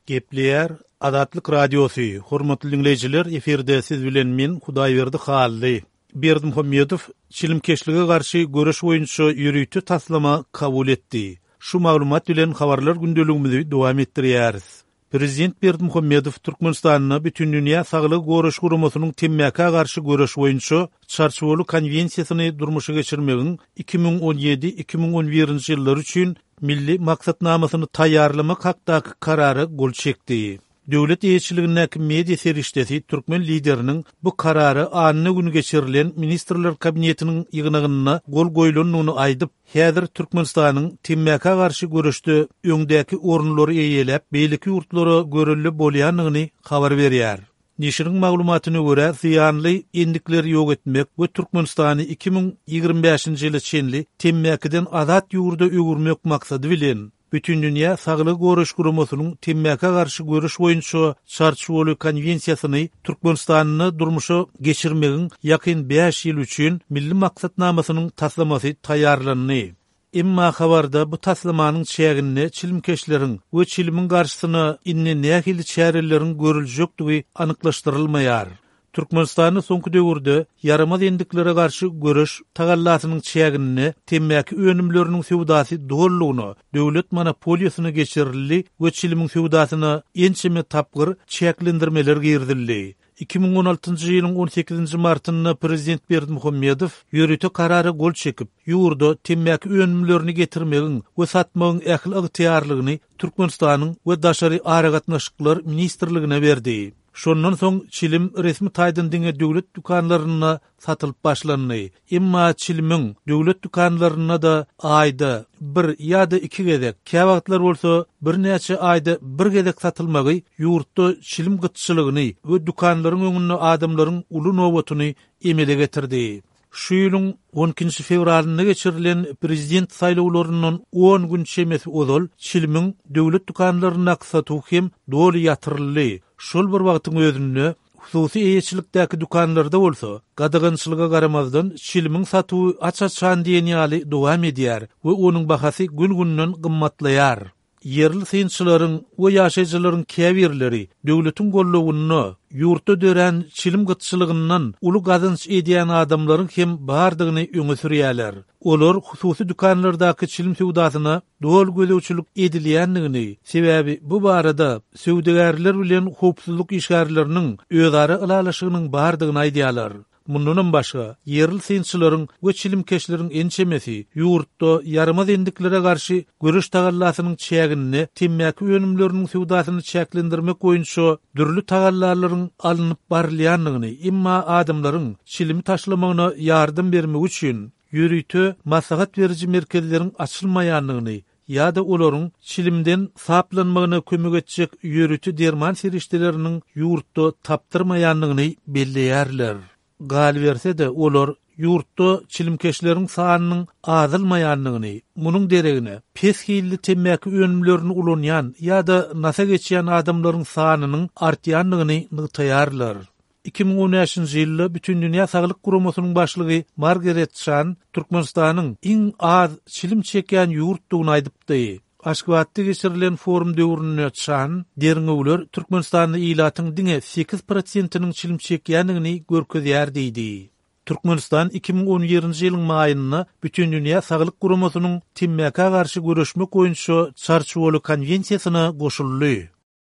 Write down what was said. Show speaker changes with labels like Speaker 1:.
Speaker 1: Gepleýär Azatlyk Radiosy, Hormatly diňleýjiler, efirde siz bilen men, Hudaýberdi Hally. Berdimuhamedow çilimkeşlige garşy göreş boýunça ýörite taslama kabul etdi. Şu maglumat bilen habarlar gündeligimizi dowam etdirýäris. Prezident Berdimuhamedow Türkmenistanda Bütindünýä Saglygy Goraýyş Guramasynyň temmäkä garşy göreş boýunça Çarçuwaly Konwensiýasyny durmuşa geçirmegiň 2017, 2011 ýyllar üçin Milli maksatnamasyny taýýarlamak hakdaky Karara gol çekdi. Döwlet eýeçiligindäki media serişdesi türkmen Lideriniň bu Karara anna güni geçirilen Ministrler Kabinetiniň ýygnagynda gol goýlandygyny aýdyp, häzir Türkmenistanyň temmäkä garşy göreşde öňdäki orunlary eýeläp, beýleki ýurtlara görelde bolýandygyny habar berýär. Neşiriň maglumatyna görä, zyýanly endikleri ýok etmek we Türkmenistany 2025-nji ýyla çenli temmäkiden azat ýurda öwürmek maksady bilen, Bütindünýä Saglygy Goraýyş Guramasynyň temmäkä garşy göreş boýunça Çarçuwaly Konwensiýasyny Türkmenistanda durmuşa geçirmegiň ýakyn bäş ýyl üçin Milli maksatnamasynyň taslamasy taýýarlandy. Emma habarda bu taslamanyň çäginde çilimkeşleriň we çilimiň garşysyna indi nähili çäreleriň görüljekdigi anyklaşdyrylmaýar. Türkmenistanda soňky döwürde ýaramaz endiklere garşy göreş tagallasynyň çäginde temmäki önümleriniň söwdasy dolulygyna döwlet monopoliýasyna geçirildi we çilimiň söwdasyna ençeme tapgyr çäklendirmeler girizildi. 2016-njy ýylyň on sekizinji martynda prezident Berdimuhamedow ýörite Karara gol çekip, ýurda temmäki önümlerini getirmegiň we satmagyň ähli ygtyýarlygyny Türkmenistanyň we Daşary aragatnaşyklar ministrligine berdi. Şondan soň çilim resmi taýdan diňe döwlet dükanlarynda satylyp başlandy. Emma çilimiň döwlet dükanlarynda-da aýda bir ýa-da iki gezek, käwagtlar bolsa birnäçe aýda bir gezek satylmagy ýurtda çilim gytçylygyny we dükanlaryň öňünde adamlaryň uly nobatyny emele getirdi. Şu ýylyň on ikinji fewralynda geçirilen prezident saýlawlaryndan on gün çemesi ozal çilimiň döwlet dükanlaryndaky satuwy hem doly ýatyryldy. Şol bir wagtyň özünde, hususy eýeçilikdäki dükanlarda bolsa, gadagançylyga garamazdan, çilimiň satuwy aç-açan diýen ýaly dowam edýär we onuň bahasy gün-günden gymmatlaýar. Ýerli synçylaryň we ýaşaýjylaryň käbirleri döwletiň gollawynda ýurtda dörän çilim gytçylygyndan uly gazanç edýän adamlaryň hem bardygyny öňe sürýärler. Olar hususy dükanlardaky çilim söwdasyna doly gözegçilik edilýändigini, sebäbi bu barada söwdagärler bilen howpsuzlyk işgärleriniň özara ylalaşygynyň bardygyny aýdýarlar. Mundanam başga, ýerli synçylaryň we çilimkeşleriň ençemesi ýurtda ýaramaz endiklere garşy göreş tagallasynyň çäginde temmäki önümleriniň söwdasyny çäklendirmek boýunça dürli tagallalaryň alnyp barylýandygyny, emma adamlaryň çilimi taşlamagyna ýardam bermek üçin ýörite maslahat beriji merkezleriň açylmaýandygyny ýa-da olaryň çilimden saplanmagyna kömek etjek ýörite derman serişdeleriniň ýurtda tapdyrmaýandygyny belleýärler. Galyberse-de, olar ýurtda çilimkeşleriň sanynyň azalmaýandygyny, munuň deregine, pes hilli temmäki önümlerini ulanýan ýa-da nasa geçýän adamlaryň sanynyň artýandygyny nygtaýarlar. 2015-nji ýylda Bütindünýä Saglyk Guramasynyň başlygy Margaret Çan Türkmenistanyň iň az çilim çekýän ýurtdugyny aýdypdy. Aşgabatda geçirilen forum döwründe Çan, Derňewler Türkmenistanda ilatyň diňe sekiz prosentiniň çilim çekýändigini görkezýär diýdi. Türkmenistan 2017-nji ýylyň maýynda Bütindünýä Saglyk Guramasynyň temmäkä garşy göreşmek boýunça Çarçuwaly konwensiýasyna goşuldy.